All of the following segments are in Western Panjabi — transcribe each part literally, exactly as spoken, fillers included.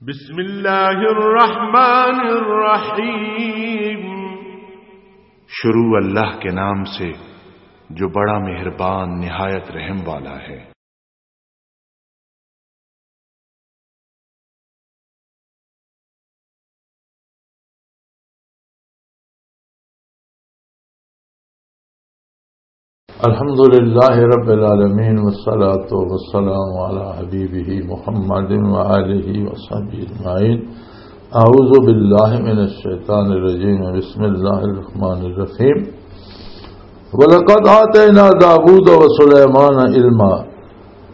بسم اللہ الرحمن الرحیم۔ شروع اللہ کے نام سے، جو بڑا مہربان، نہایت رحم والا ہے۔ الحمد لله رب العالمين، والصلاة والسلام على حبيبه محمد وآله وصحبه أجمعين. أعوذ بالله من الشيطان الرجيم. بسم الله الرحمن الرحيم. ولقد آتينا داود وسليمان علما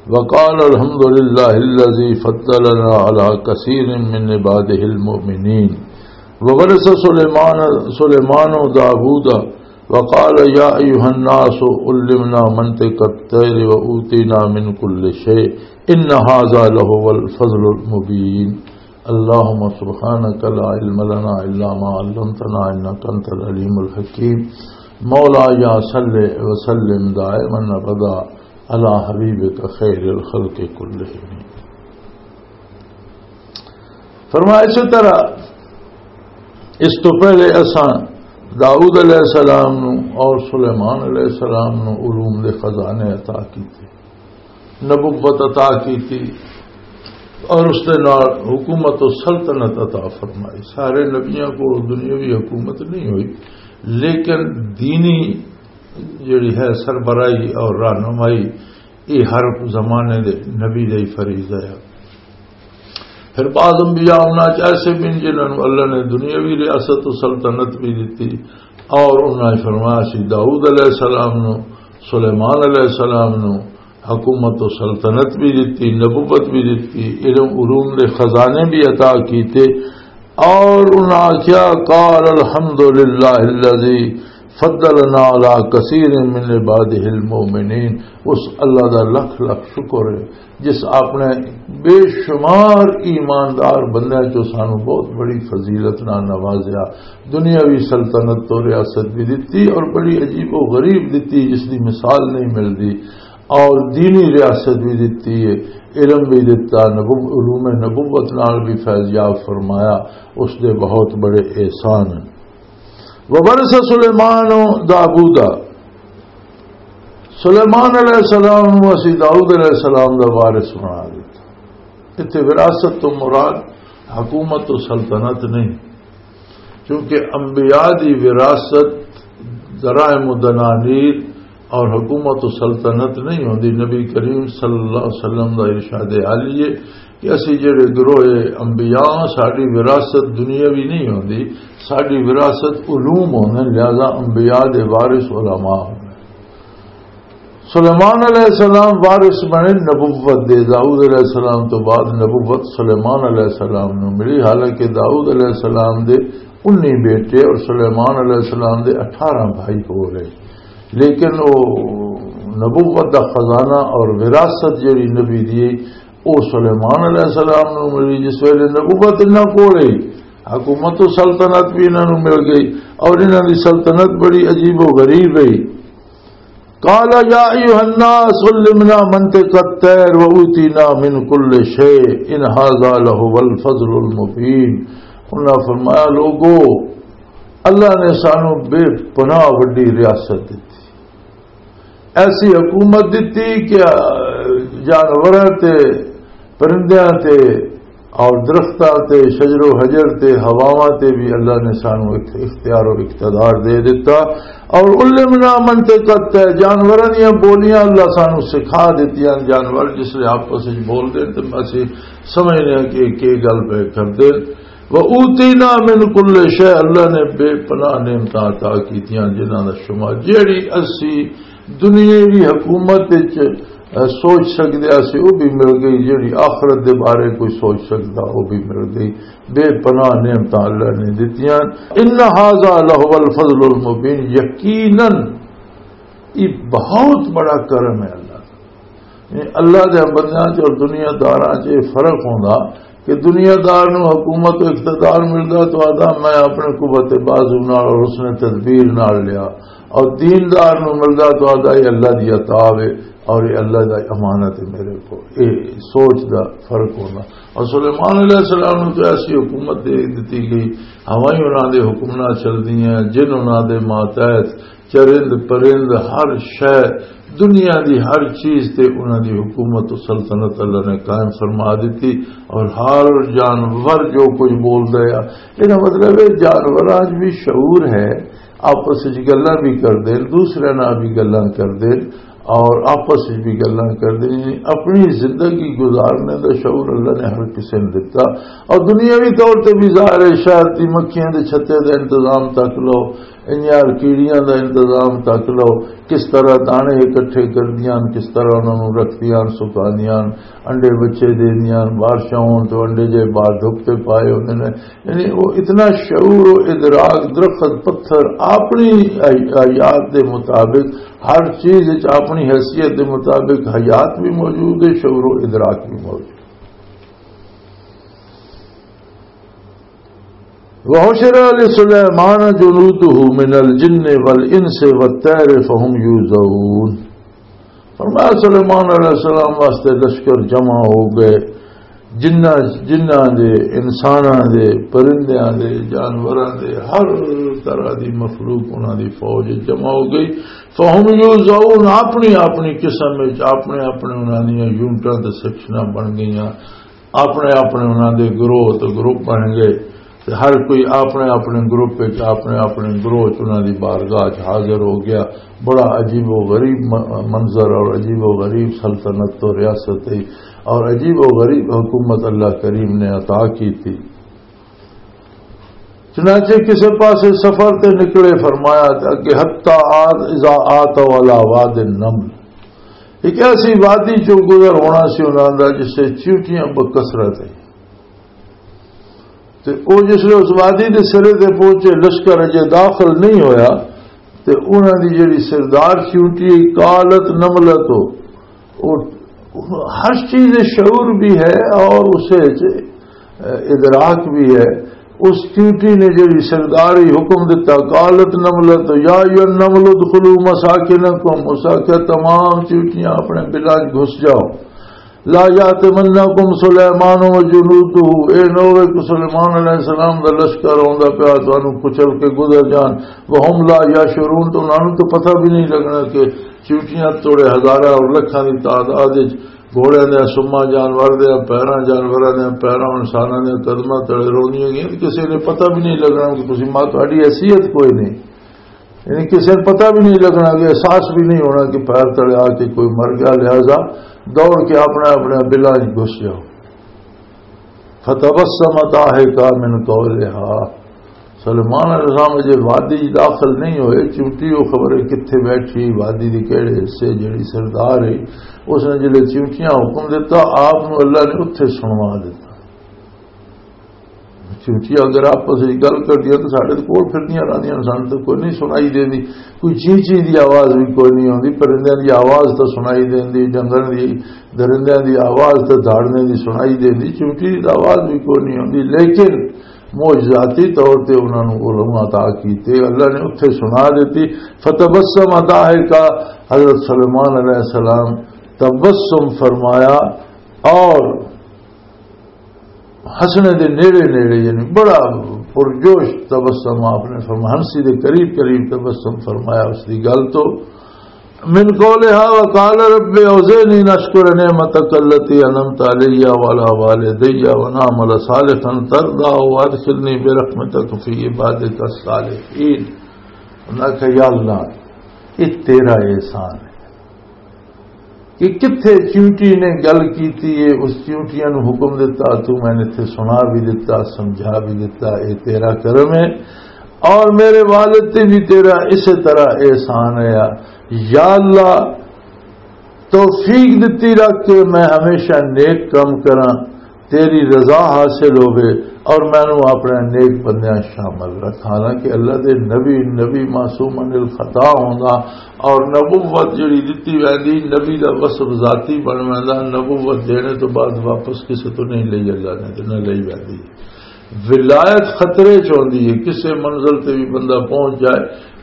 وقال الحمد لله الذي فضلنا على كثير من عباده المؤمنين. وورث سليمان، سليمان داود وقال يا أيها الناس علمنا منطق الطير وأوتينا من كل شيء إن هذا لهو الفضل المبين. اللهم سبحانك لا علم لنا إلا ما علمتنا إنك أنت العليم الحكيم. مولاي صل وسلم دائما أبدا على حبيبك خير الخلق كلهم. فرمایا، اسی طرح اس تو پہلے اساں داؤد علیہ السلام نو اور سلیمان علیہ السلام نو علوم دے خزانے عطا کیتے، نبوت عطا کیتی اور اس دے نال حکومت و سلطنت عطا فرمائی۔ سارے نبیاں کو دنیاوی حکومت نہیں ہوئی، لیکن دینی جڑی ہے سربراہی اور رہنمائی، یہ ہر زمانے دے نبی دا ہی فریضہ ہے۔ پھر بعض انبیاء انہاں چ ایسے بھی نے جنہاں نوں اللہ نے دنیاوی ریاست و سلطنت بھی دتی، اور انہاں نے فرمایا سی داؤد علیہ السلام نو، سلیمان علیہ السلام نو حکومت و سلطنت بھی دتی، نبوت بھی دتی، علم علوم دے خزانے بھی عطا کیتے، اور انہاں آکھیا، قال الحمد للہ الذی فضلنا علی کثیر من عبادہ المؤمنین۔ اس اللہ دا لکھ لکھ شکر ہے جس اپنے بے شمار ایماندار بندیاں چوں سانو بہت بڑی فضیلت نال نوازیا، دنیاوی سلطنت تو ریاست بھی دتی اور بڑی عجیب و غریب دتی جس دی مثال نہیں ملدی، اور دینی ریاست بھی دتی ہے، علم بھی دتا، نبو-، علوم نبوت نال بھی فیض یاب فرمایا، اس دے بہت بڑے احسان ہیں۔ وورث سلیمان داوود، سلیمان علیہ السلام نو اسی داؤد علیہ السلام دا وارث بنا دیتا۔ اتھے وراثت تو مراد حکومت و سلطنت نہیں، کیونکہ انبیاء دی وراثت دراہم و دنانیر اور حکومت و سلطنت نہیں ہوندی۔ نبی کریم صلی اللہ علیہ وسلم دا ارشاد عالی ہے کہ اسی جڑے گروہ انبیاء ہاں، ساڈی وراثت دنیاوی نہیں ہوندی، ساڈی وراثت علوم ہوندے، لہذا انبیاء دے وارث علماء ہوندے۔ سلیمان علیہ السلام وارث بنے نبوت دے، داؤد علیہ السلام تو بعد نبوت سلیمان علیہ السلام نو ملی، حالانکہ داؤد علیہ السلام دے انی بیٹے اور سلیمان علیہ السلام دے اٹھارہ بھائی ہو رہے، لیکن وہ نبوت دا خزانہ اور وراثت جڑی نبی دی، او سلیمان علیہ السلام نو ملی۔ جس ویلے نبوت انہاں کول ہی، حکومت و سلطنت بھی انہاں نو مل گئی، اور انہاں دی سلطنت بڑی عجیب و غریب ہے۔ قال یا ایھا الناس علمنا منطق الطیر و اوتینا من کل شیء ان ھذا لھو الفضل المبین۔ انہاں فرمایا، لوگو، اللہ نے سانو بے پناہ وڈی ریاست دتی، ایسی حکومت دتی کہ جانوراں تے، پرندیاں تے، اور درختاں تے، شجر و حجر تے، ہواواں تے بھی اللہ نے سانو اخ-، اختیار و اقتدار دے دیتا۔ اور علمنا منطق الطیر، جانوراں دیاں بولیاں اللہ سانو سکھا دتیاں۔ جانور جس لے آپس وچ بول دے تے اسی سمجھنے ہاں کہ ایک گل پہ کر دے۔ وَأُوتِينَا مِن كُلِّ شَيْءٍ، اللہ نے بے پناہ نعمتاں عطا کیتیاں، جنہاں دا شمار جیڑی اسی دنیاوی حکومت وچ، اے، سوچ سکدے اسی، او بھی مل گئی، جیڑی آخرت دے بارے کوئی سوچ سکدا، او بھی مل گئی۔ بے پناہ نعمتاں اللہ نے دتیاں۔ ان ھذا لھو الفضل المبین، یقیناً یہ بہت بڑا کرم ہے اللہ دا۔ یعنی اللہ دے بندیاں چ اور دنیا داراں چ یہ فرق ہوندا کہ دنیا دار نو حکومت و اقتدار ملدا تو آدا میں اپنے قوت بازو نال اور اس نے تدبیر نال لیا، اور دیندار نو ملدا تو آدا یہ اللہ دی عطا وے اور یہ اللہ دا امانت ہے میرے کو۔ یہ سوچ دا فرق ہونا۔ اور سلیمان علیہ السلام نو تو ایسی حکومت دے دتی گئی، ہوائیں انہاں دے حکم نال چلدیاں، جن انہاں دے ماتحت، چرند پرند، ہر شے، دنیا دی ہر چیز تے انہاں دی حکومت و سلطنت اللہ نے قائم فرما دتی، اور ہر جانور جو کچھ بولدا ہے، یہ مطلب ہے جانوراں 'چ بھی شعور ہے، آپس وچ گلاں بھی کردے، دوسرے نال بھی گلاں کردے، اور آپس وچ بھی گلاں کردے، یعنی اپنی زندگی گزارنے دا شعور اللہ نے ہر کسے نوں دتا۔ اور دنیاوی طور تے بھی ظاہر ہے، شہد دی مکھیاں دے چھتے دا انتظام تک لو، انیار کیڑیاں دا انتظام تک لو، کس طرح دانے اکٹھے کردیاں، کس طرح انہاں نوں رکھدیاں، سکاندیاں، انڈے بچے دیندیاں، بارشاں ہون تو انڈے جے باہر دھوپ تے پائے ہوندے نے۔ یعنی وہ اتنا شعور و ادراک، درخت، پتھر اپنی حیات دے مطابق، ہر چیز وچ اپنی حیثیت دے مطابق حیات بھی موجود ہے، شعور و ادراک بھی موجود۔ وحشر لسلیمان جنوده من الجن والانس والطیر فهم یوزعون۔ فرمایا سلیمان علیہ السلام واسطے لشکر جمع ہو گئے، جنہ، جنہ دے، انساناں دے، پرندیاں دے، جانوراں دے، ہر طرح دی مخلوق انہاں دی فوج جمع ہو گئی۔ فہم یوزعون، اپنی اپنی قسم وچ اپنے اپنے انہاں دیاں یونٹاں تے سیکشناں بن گئیاں، اپنے اپنے انہاں دے گروہ تے گروپ بن گئے۔ تے ہر کوئی اپنے اپنے گروپ وچ، اپنے اپنے گروہ وچ انہاں دی بارگاہ وچ حاضر ہو گیا۔ بڑا عجیب و غریب م-، منظر اور عجیب و غریب سلطنت تو ریاست تھی اور عجیب و غریب حکومت اللہ کریم نے عطا کی تھی۔ چنانچہ کسے پاسے سفر تے نکلے، فرمایا تے اگے حتی آت اذا آت والا واد النمل، ایک ایسی وادی جو گزر ہونا سی انہاں دا جس سے چیونٹیاں بکثرت ہے۔ تے او جس لے اس وادی دے سرے تے پہنچے، لشکر اجے داخل نہیں ہویا، تے انہاں دی جڑی سردار چیونٹی ہے، قالت نملۃ، او، او ہر چیز دے شعور بھی ہے اور اسے وچ ادراک بھی ہے۔ اس چیونٹی نے جڑی سرداری حکم دتا، قالت نملۃ یا ایھا النمل ادخلوا مساکنکم، اس آکھیا تمام چیونٹیاں اپنے بلاں 'چ گھس جاؤ۔ لا یاتمنکم سلیمان و جنودہ، اے نہ ہوے کہ سلیمان علیہ السلام دا لشکر آوندا پیا تانوں کچل کے گزر جان۔ وہم لا یشعرون، تو انہاں نوں تو پتہ بھی نہیں لگنا کہ چیونٹیاں توڑے ہزاراں اور لکھاں دی تعداد وچ گھوڑیاں دیاں سماں جانور دیاں پیراں، جانوراں دیاں پیراں، انساناں دیاں قدماں تلے روندیاں گئیاں، تے کسے نے پتہ بھی نہیں لگنا کہ تسی ماں، تہاڈی حیثیت کوئی نہیں۔ یعنی کسی نے پتہ بھی نہیں لگنا، کہ احساس بھی نہیں ہونا کہ پیر تلے آ کے کوئی مر گیا، لہذا دوڑ کے اپنے اپنے بلاں وچ گھس جاؤ۔ فتبسم ضاحکا من قولہا، سلیمان علیہ السلام جے وادی وچ داخل نہیں ہوئے، چونٹی وہ خبر ہے کتھے بیٹھی، وادی دی کہڑے حصے، جڑی سردار ہے، اس نے جلے چونٹیاں حکم دیتا، آپ نو اللہ نے اتھے سنوا دیتا۔ چونٹیاں اگر آپس وچ گل کردیاں تو ساڈے کول پھردیاں رہندیاں، سانوں تو کوئی نہیں سنائی دیندی، کوئی چی چی دی آواز بھی کوئی نہیں آندی، پرندیاں دی آواز تو سنائی دیندی، جنگل دی، درندیاں دی آواز تو دھاڑنے دی سنائی دیندی، چونٹی دی آواز بھی کوئی نہیں آندی۔ لیکن معجزاتی طور تے انہاں نوں علم عطا کیتے، اللہ نے اتھے سنا دیتی۔ فتبسم ضاحکا، حضرت سلیمان علیہ السلام تبسم فرمایا اور ہنسنے دے نیڑے نیڑے، یعنی بڑا پرجوش تبسم آپ نے فرمایا، ہنسی دے قریب قریب تبسم فرمایا اس دی گل تو۔ من قولها وقال رب اوزعنی ان اشکر نعمتک التی انعمت علی وعلی والدی ونعمل صالحا ترضاه وادخلنی برحمتک فی عبادک الصالحین۔ انہاں کہا، یا اللہ، یہ تیرا احسان ہے۔ کہ کتھے چیونٹی نے گل کیتی ہے، اس چیونٹیاں نو حکم دتا، تو میں نے اتھے سنا بھی دتا، سمجھا بھی دتا، اے تیرا کرم ہے۔ اور میرے والد تے بھی تیرا اسے طرح احسان ہے۔ یا اللہ، توفیق دتی رکھ کہ میں ہمیشہ نیک کم کراں، تیری رضا حاصل ہوے، اور مینوں اپنے نیک بندیاں شامل رکھ۔ حالانکہ اللہ دے نبی، نبی معصوم عن الخطا ہوندا، اور نبوت جڑی دتی ویندی، نبی دا وصف ذاتی بن ویندا، نبوت دینے تو بعد واپس کسے تو نہیں لئی اللہ نے، تے نہ لئی ویندی۔ ولایت خطرے چ ہوندی ہے، کسے منزل تے بھی بندہ پہنچ جائے،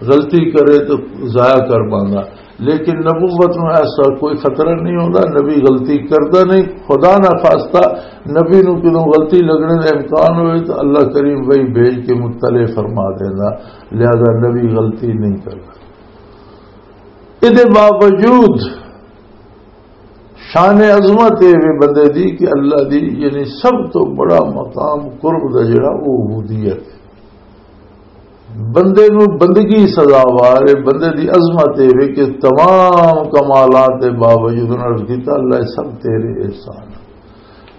غلطی کرے تو ضائع کر پاندا۔ لیکن نبوت نوں ایسا کوئی خطرہ نہیں ہوندا، نبی غلطی کردا نہیں۔ خدا نہ خواستہ نبی نوں کدوں غلطی لگنے دا امکان ہوئے تو اللہ کریم وہی بھیج کے مطلع فرما دیندا، لہذا نبی غلطی نہیں کردا۔ ادے باوجود شان عظمت اے وے بندے دی کہ اللہ دی، یعنی، سب تو بڑا مقام قرب دا جڑا، وہ عبودیت ہے۔ بندے نو بندگی سزاوار ہے، بندے دی عظمت اے وے کہ تمام کمالات دے باوجود انہوں نے عرض کیتا، اللہ، یہ سب تیرے احسان ہے۔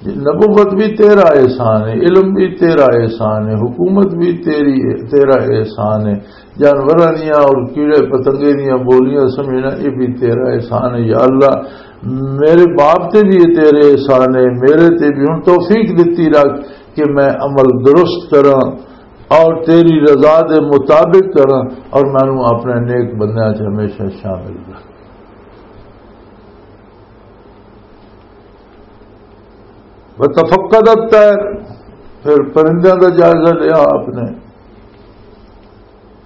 جی، نبوت بھی تیرا احسان ہے، علم بھی تیرا احسان ہے، حکومت بھی تیری، تیرا احسان ہے، جانوراں دیاں اور کیڑے پتنگے دیاں بولیاں سمجھنا، یہ بھی تیرا احسان ہے۔ یا اللہ، میرے باپ تے بھی یہ تیرے احسان ہے، میرے تے بھی ہن توفیق دتی رکھ کہ میں عمل درست کراں اور تیری رضا دے مطابق کراں، اور مینوں اپنے نیک بندیاں چ ہمیشہ شامل رکھ۔ وتفقد الطير، پھر پرندیاں دا جائزہ لیا آپ نے۔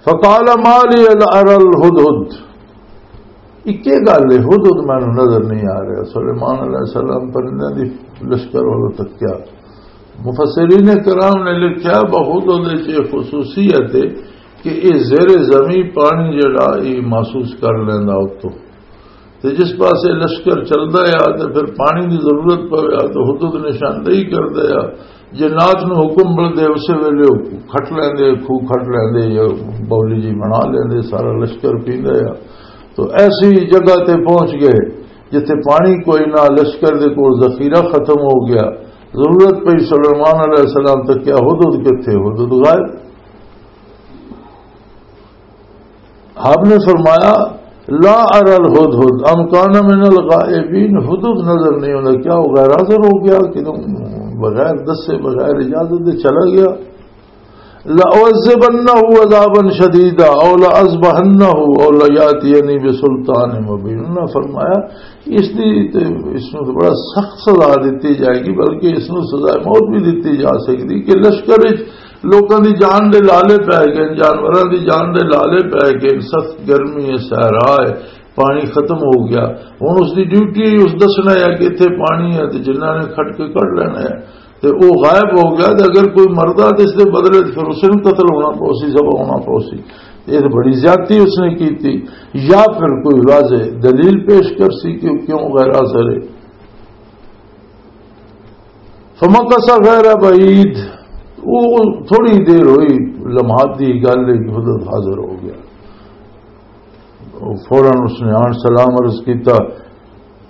فقال ما لي لا أرى الهدهد، اکے گل ہے، ہدہد مینوں نظر نہیں آ رہا۔ سلیمان علیہ السلام پرندیاں دی لشکر والوں تکیا۔ مفسرین کرام نے لکھیا، بہدہد وچ یہ خصوصیت ہے کہ یہ زیر زمین پانی جڑا یہ محسوس کر لیندا اتوں۔ تے جس پاسے لشکر چلدا آ تے پھر پانی دی ضرورت پوے آ تے ہدہد نشاندہی کردا آ۔ جنات نو حکم ملدے، اسے ویلے او کھٹ لیندے، کھو کھٹ لیندے یا بولی جی بنا لیندے، سارا لشکر پیندا آ۔ تو ایسی جگہ تے پہنچ گئے جتھے پانی کوئی نہ، لشکر دے کول ذخیرہ ختم ہو گیا۔ ضرورت پئی سلیمان علیہ السلام تکیا، ہدہد کتھے؟ ہدہد غائب۔ آپ نے فرمایا، لا ارى الهدهد ام كان من الغائبين، ہدہد نظر نہیں ہوتا، کیا وہ غیر حاضر ہو گیا، کہ تم بغیر دسے، بغیر اجازت دے چلا گیا؟ لأعذبنه عذابا شديدا او لأذبحنه او ليأتيني بسلطان مبين۔ انہاں فرمایا، اس دی تے، اس نوں تے بڑا سخت سزا دتی جائے گی، بلکہ اس نوں سزا موت بھی دتی جا سکدی کہ لشکر وچ لوکاں دی جان دے لالے پے گئے، جانوراں دی جان دے لالے پے گئے، سخت گرمی ہے، صحرا ہے، پانی ختم ہو گیا۔ ہن اس دی ڈیوٹی اس دسنا ہے کہ اتھے پانی ہے تے جنہاں نے کھٹ کے کڈ لینا ہے، تے او غائب ہو گیا۔ تے اگر کوئی مردا تے اس دے بدلے تے پھر اس نوں قتل ہونا پوسی، ذبح ہونا پوسی۔ یہ تے بڑی زیادتی اس نے کیتی۔ یا پھر کوئی واضح دلیل پیش کر سی کہ کیوں غیر حاضر ہے۔ فمکث غیر بعید، وہ تھوڑی دیر ہوئی، لمحات دی گل ہے کہ حضرت حاضر ہو گیا۔ فوراً اس نے آن سلام عرض کیتا۔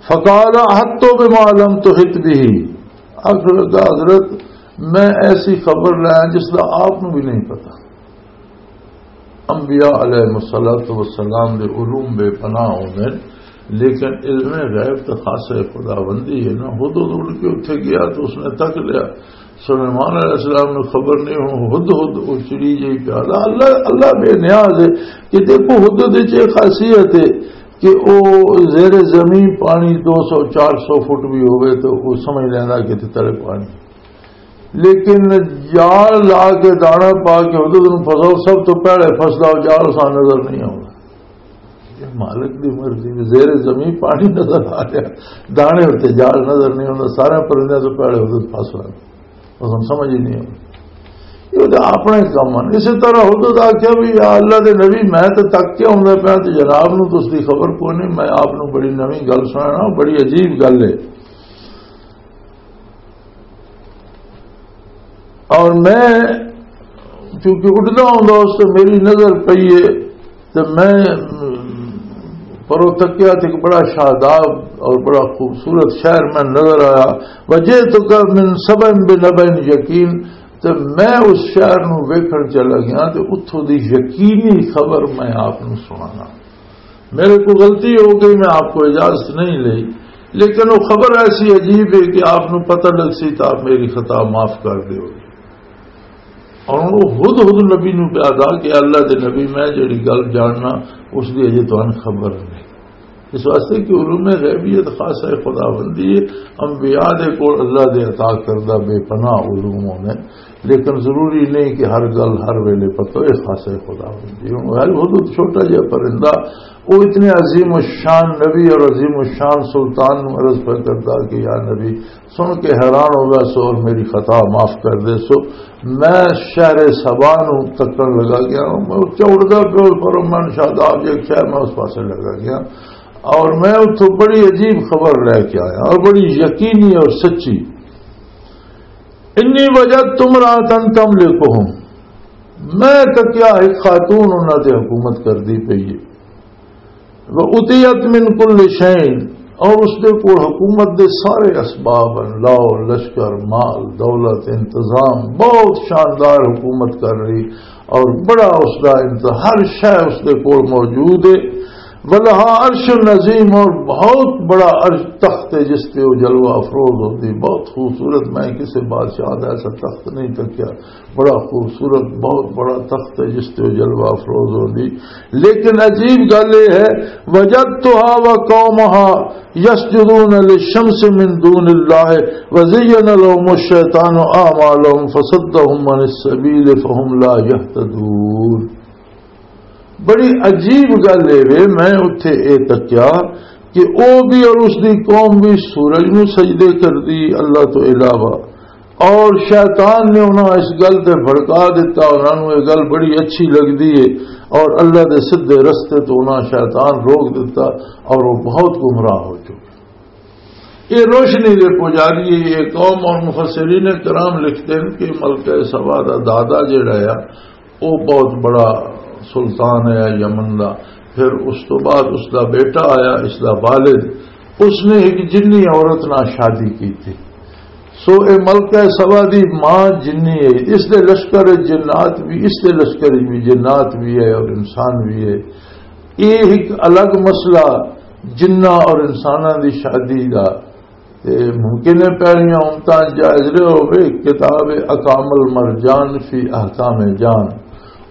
فقال احطت بما لم تحط به، آخر لگا، حضرت، میں ایسی خبر لایا جس کا آپ نو بھی نہیں پتا۔ انبیاء علیہ الصلوۃ والسلام دے علوم بے پناہ ہوندے، لیکن علم غیب تے خاص خداوندی ہے نا۔ ہدہد اڑ کے اتھے گیا تو اس نے تک لیا، سلیمان علیہ السلام نو خبر نہیں، ہن ہدہد او چڑی جئی پیادا۔ اللہ، اللہ بے نیاز ہے۔ کہ دیکھو، ہدہد وچ یہ خاصیت ہے کہ او زیر زمین پانی دو سو، چار سو فٹ بھی ہوئے تو وہ سمجھ لینا کہ اتھے تلے پانی۔ لیکن جال لا کے، دانا پا کے ہدہد نوں پھساؤ، سب تو پہلے پھسدا او جال، اساں نظر نہیں آؤندا۔ یہ مالک دی مرضی، زیر زمین پانی نظر آ رہا، دانے اتے جال نظر نہیں آؤندا، سارے پرندے تو پہلے ہدہد پھس رہا۔ بس ہم سمجھ ہی نہیں آؤندا۔ یہ تو اپنے کم ہیں۔ اسی طرح ہدہد آکھیا بھی، یا اللہ دے نبی، میں تو تک کے آؤندا پیا، تو جناب نوں تو اس دی خبر کوئی نہیں، میں آپ نوں بڑی نویں گل سنانا، بڑی عجیب گل ہے۔ اور میں چونکہ اڈدا ہوندا اس تے میری نظر پئی ہے، تے میں پرو تکیا تے ایک بڑا شاداب اور بڑا خوبصورت شہر میں نظر آیا۔ وجئتک من سبأ بنبأ یقین، تے میں اس شہر نو ویکھن چلا گیا تے اتھوں دی یقینی خبر میں آپ نو سنانا۔ میرے کو غلطی ہو گئی، میں آپ کو اجازت نہیں لئی، لیکن وہ خبر ایسی عجیب ہے کہ آپ نو پتہ لگ سی تو آپ میری خطا معاف کر دیو گے۔ اور ہن او خود خود نبی نوں پیا دا کہ اللہ دے نبی، میں جڑی گل جاننا، اس دی اجے تانوں خبر نہیں۔ اس واسطے کہ علوم غیبیت خاصہ خداوندی ہے، انبیاء دے کول اللہ دے عطا کردہ بے پناہ علوم ہونے، لیکن ضروری نہیں کہ ہر گل ہر ویلے پتہ ہوئے، خاصہ خداوندی۔ ہن غیر حدود چھوٹا جہا پرندہ، وہ اتنے عظیم الشان نبی اور عظیم الشان سلطان نوں عرض پہ کردا کہ یا نبی، سن کے حیران ہو گیا سو اور میری خطا معاف کر دے سو۔ میں شہر سبا نوں تکن لگا گیا، میں اتھے اڑدا پیو، پر من شاداب جے کیا، میں اس پاسے لگا گیا اور میں اتھوں بڑی عجیب خبر لے کے آیا اور بڑی یقینی اور سچی۔ انی وجدت امرأة تملکہم، میں تکیا ایک خاتون انہاں تے حکومت کردی پئی ہے۔ وَأُتِيَتْ مِنْ كُلِّ شَيْءٍ، اور اس دے کول حکومت دے سارے اسباب ہیں، لاؤ لشکر، مال، دولت، انتظام، بہت شاندار حکومت کر رہی، اور بڑا اس دا انت-، ہر شے اس دے کول موجود ہے۔ وَلَهَا عَرْشٌ عَظِيمٌ، اور بہت بڑا عرش، تخت ہے جس تے وہ جلوہ افروز ہوتی، بہت خوبصورت، میں کسی بادشاہ دا ایسا تخت نہیں تکیا۔ بڑا خوبصورت، بہت بڑا تخت ہے جس تے وہ جلوہ افروز ہوندی۔ لیکن عجیب گل یہ ہے، وجدتها وقومها يسجدون للشمس من دون الله وزين لهم الشيطان أعمالهم فصدهم عن السبيل فهم لا يهتدون۔ بڑی عجیب گل اے وے، میں اتھے اے تکیا کہ او بھی اور اس دی قوم بھی سورج نو سجدے کردی اللہ تو علاوہ، اور شیطان نے انہاں اس گل تے بھڑکا دتا، انہاں نو یہ گل بڑی اچھی لگدی ہے، اور اللہ دے سدھے رستے تو انہاں شیطان روک دتا، اور وہ بہت گمراہ ہو چکے۔ یہ روشنی دے پجاری، یہ قوم، اور مفسرین کرام لکھتے ہیں کہ ملکہ سبا دا دادا جڑا ہے، وہ بہت بڑا سلطان ہے یمن دا۔ پھر اس تو بعد اس دا بیٹا آیا، اس دا والد، اس نے ایک جنی عورت نال شادی کی تھی۔ سو اے ملکہ سبا دی ماں جنی ہے، اس دے لشکر جنات بھی، اس دے لشکر بھی جنات بھی ہے اور انسان بھی ہے۔ یہ ایک الگ مسئلہ، جنہ اور انساناں دی شادی دا۔ تے ممکن ہے پہلیاں امتاں جائز رہے ہوئے، کتاب اکام المرجان فی احکام جان،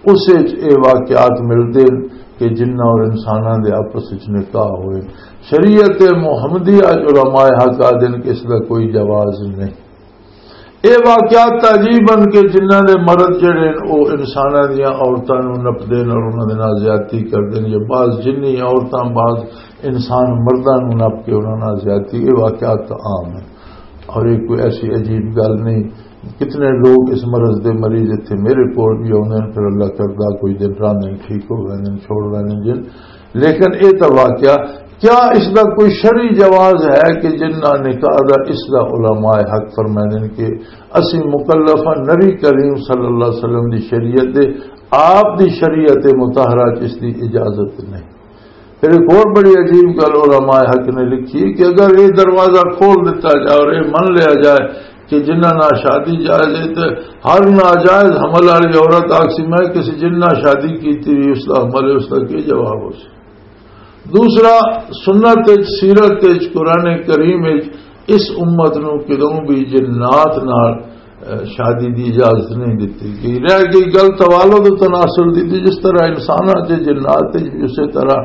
اس وچ اے واقعات ملدے نے کہ جناں اور انساناں دے آپس وچ نکاح ہوئے۔ شریعت محمدیہ جو علماء حق آدن کہ اس دا کوئی جواز نہیں۔ اے واقعات تعجیب ہن کہ جنہاں دے مرد جڑے ہن، او انساناں دیاں عورتاں نوں نپدے ہن اور انہاں دے نال زیادتی کردے ہن، یا بعض جنی عورتاں بعض انسان مرداں نوں نپ کے انہاں نال زیادتی، اے واقعات تاں عام ہن اور اے کوئی ایسی عجیب گل نہیں۔ کتنے لوگ اس مرض دے مریض اتھے میرے کول بھی آوندے ہن، پھر اللہ کردا کوئی دن راندے ہن، ٹھیک ہو ویندے ہن، چھوڑ ویندے ہن جن۔ لیکن اے تاں واقعہ، کیا اس دا کوئی شرعی جواز ہے کہ جنہاں نکاح دا، اس دا علماء حق فرمائندے نے کہ اسی مکلف ہاں، نبی کریم صلی اللہ علیہ وسلم دی شریعت دے، آپ دی شریعت مطہرہ چ اس دی اجازت نہیں۔ پھر ایک اور بڑی عجیب گل علماء حق نے لکھی کہ اگر یہ دروازہ کھول دیتا جائے اور یہ من لیا جائے کہ جنہاں نال شادی جائز ہے، تے ہر ناجائز حمل والی عورت آکسی میں کسی جنہاں شادی کی تھی، اس دا حمل ہے، اس دا کی جواب ہو سی؟ دوسرا، سنت وچ، سیرت وچ، قرآن کریم وچ اس امت نو کدوں بھی جنات نال، اے، شادی دی اجازت نہیں دتی گئی۔ رہ گئی گل توالد و تناسل دی، تے جس طرح انساناں تے جنات تے اسی طرح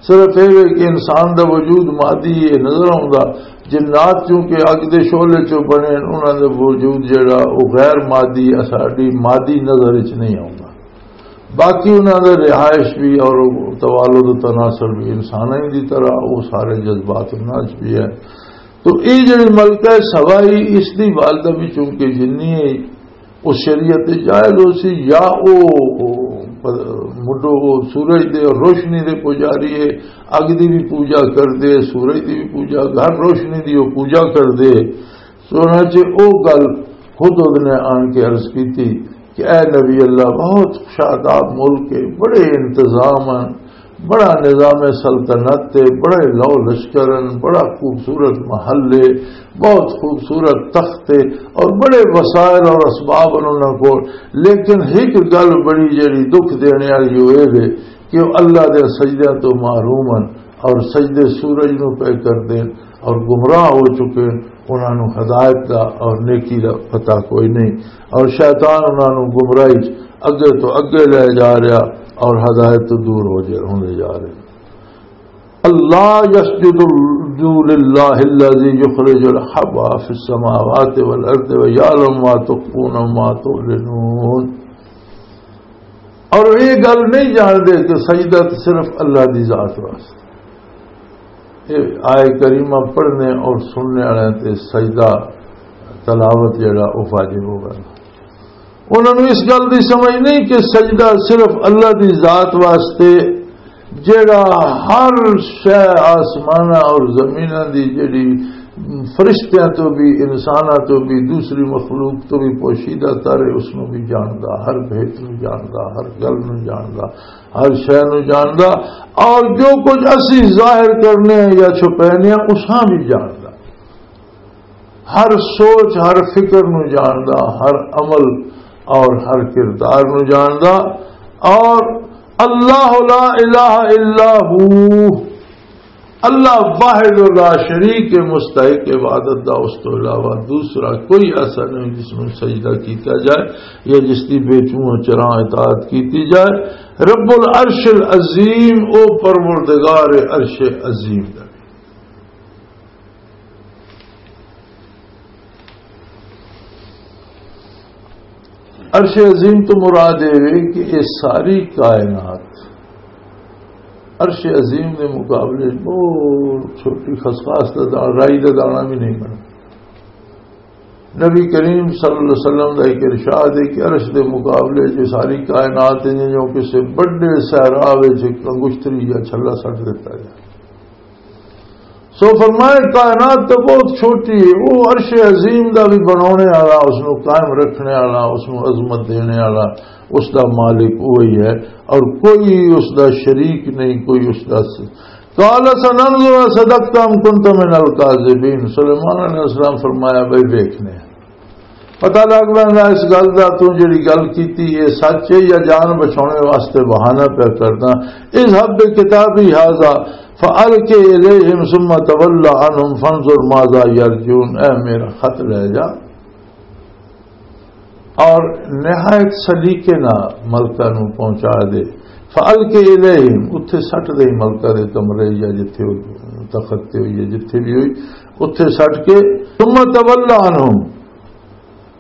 صرف اے وے کہ انسان دا وجود مادی اے نظر آوندا، جنات چونکہ اگ دے شعلے چوں بنے ہن، انہاں دا وجود جڑا او غیر مادی، اساڈی مادی نظر وچ نہیں آوندا۔ باقی انہاں دا رہائش بھی اور توالد و تناسل بھی انساناں دی طرح، وہ سارے جذبات انہاں وچ بھی ہے۔ تو یہ جڑی ملکہ سبا ای، اس دی والدہ بھی چونکہ جنی ہے، اس شریعت تے جائز ہو سی، یا او، او مڈو او سورج دے روشنی دے پجاری ہے، اگ دی بھی پوجا کر دے، سورج دی بھی پوجا، ہر روشنی دی وہ پوجا کر دے۔ سو انہاں چ او گل خود نے آن کے عرض کیتی کہ اے نبی اللہ، بہت شاداب ملک ہے، بڑے انتظام ہیں، بڑا نظام سلطنت ہے، بڑے لو لشکر ہیں، بڑا خوبصورت محل ہے، بہت خوبصورت تخت ہے اور بڑے وسائل اور اسباب ہیں انہاں کو۔ لیکن ایک گل بڑی جڑی دکھ دینے والی وہ یہ ہے کہ وہ اللہ دے سجدیاں تو محروم ہیں۔ اور سجدے سورج نو پہ کر دین اور گمراہ ہو چکے، انہاں نو ہدایت دا اور نیکی دا پتہ کوئی نہیں، اور شیطان انہاں نو گمراہی چ اگے تو اگے لے جا رہا اور ہدایت تو دور ہو جا، ہوندے جا رہے۔ اللہ یسجد للہ الذی یخرج الحبا فی السماوات والارض ویعلم ما تخفون وما تعلنون۔ اور یہ گل نہیں جانتے کہ سجدہ تو صرف اللہ دی ذات واسطے۔ یہ آئے کریمہ پڑھنے اور سننے والے تے سجدہ تلاوت جڑا وہ واجب ہوگا۔ انہاں نوں اس گل دی سمجھ نہیں کہ سجدہ صرف اللہ دی ذات واسطے، جڑا ہر شے آسماناں اور زمیناں دی جڑی فرشتیاں تو بھی، انساناں تو بھی، دوسری مخلوق تو بھی پوشیدہ تر ہے، اس نوں بھی جاندا، ہر بھید نوں جاندا، ہر گل نوں جاندا، ہر شے نوں جاندا، اور جو کچھ اسی ظاہر کرنے ہیں یا چھپینے ہیں، اساں بھی جاندا۔ ہر سوچ، ہر فکر نو جاندا، ہر عمل اور ہر کردار نو جاندا۔ اور اللہ لا الہ الا ہو، اللہ واحد و لا شریک کے مستحق عبادت دا، اس تو علاوہ دوسرا کوئی ایسا نہیں جس میں سجدہ کیتا جائے یا جس کی بے چوں چراں اطاعت کیتی جائے۔ رب العرش العظیم، او پروردگار عرش عظیم دا۔ عرش عظیم تو مراد یہ ہے کہ یہ ساری کائنات عرش عظیم کے مقابلے بہت چھوٹی، خسخاس کا دانا، رائی کا دانا بھی نہیں بنا۔ نبی کریم صلی اللہ علیہ وسلم کا ایک ارشاد ہے کہ عرش کے مقابلے جو ساری کائنات ہے، جو کسی بڑے صحرا وچ ایک انگشتری یا چھلا سٹ دیتا جائے۔ سو فرمائے، کائنات تو بہت چھوٹی ہے، وہ عرش عظیم دا بھی بنانے والا، اس نو قائم رکھنے والا، اس نو عظمت دینے والا، اس دا مالک وہی ہے، اور کوئی اس دا شریک نہیں، کوئی اس دا س-، قال سننظر صدقت ام کنت من الکاذبین۔ سلیمان علیہ السلام فرمایا، بھائی ویکھنے ہیں۔ پتہ لگ ویندا اس گل دا، تو جڑی گل کیتی اے سچ ہے یا جان بچاؤنے واسطے بہانہ پیا کردا۔ اذهب بکتابی ھذا فألق الیہم ثم تول عنہم فانظر ماذا یرجون۔ اے میرا خط لے جا اور نہایت سلیقے نال ملکہ نوں پہنچا دے۔ فألق الیہم، اتھے سٹ دے ملکہ دے کمرے یا جتھے او تخت تے ہوئی ہے، جتھے بھی ہوئی، اتھے سٹ کے، ثم تول عنہم،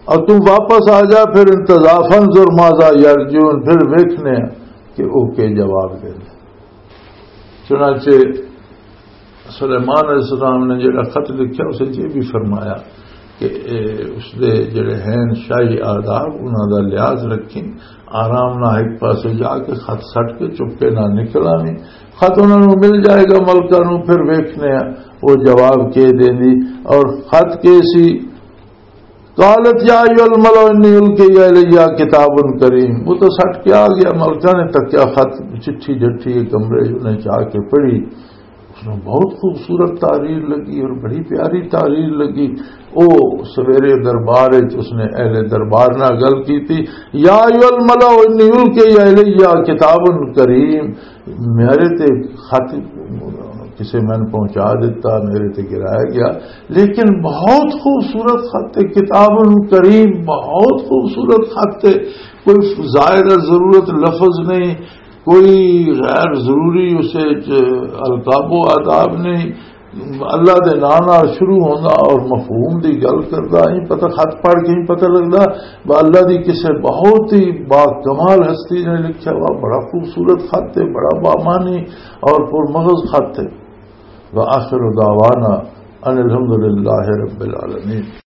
اور تم واپس آ جا، پھر انتظار، فانظر ماذا یرجون، پھر ویکھنے کہ او کے جواب دے۔ چنانچہ سلیمان علیہ السلام نے جڑا خط لکھیا، اسے یہ بھی فرمایا کہ اے، اس دے جڑے ہیں شاہی آداب، انہاں دا لحاظ رکھیں، آرام نہ ایک پاسے جا کے خط سٹ کے چپے نہ نکل آویں۔ خط انہاں نوں مل جائے گا ملکہ نوں، پھر ویکھنے ہیں وہ جواب کے دیندی۔ اور خط کے سی، قالت یا ایھا الملأ انی القی الی کتاب کریم۔ وہ تو سٹ کے آ گیا، ملکہ نے تکیا خط، چٹھی جٹھی کمرے انہیں جا کے پڑھی۔ اس نے بہت خوبصورت تحریر لگی اور بڑی پیاری تحریر لگی۔ او سویرے دربار وچ اس نے اہل دربار نال گل کی تھی، یا ایھا الملأ انی القی الی کتاب کریم، میرے تے خط کسے میں پہنچا دیتا، میرے تے گرایا گیا، لیکن بہت خوبصورت خط ہے، کتاب کریم، بہت خوبصورت خط ہے۔ کوئی زائدہ ضرورت لفظ نہیں، کوئی غیر ضروری اسے چ القاب و آداب نہیں۔ اللہ دے نام نال شروع ہوندا اور مفہوم دی گل کردا، ایں پتہ خط پڑھ کے ایں پتہ لگدا، با اللہ دی کسے بہت ہی با کمال ہستی نے لکھیا ہوا، بڑا خوبصورت خط ہے، بڑا بامانی اور پر مغز خط ہے۔ وآخر دعوانا ان الحمد للہ رب العالمین۔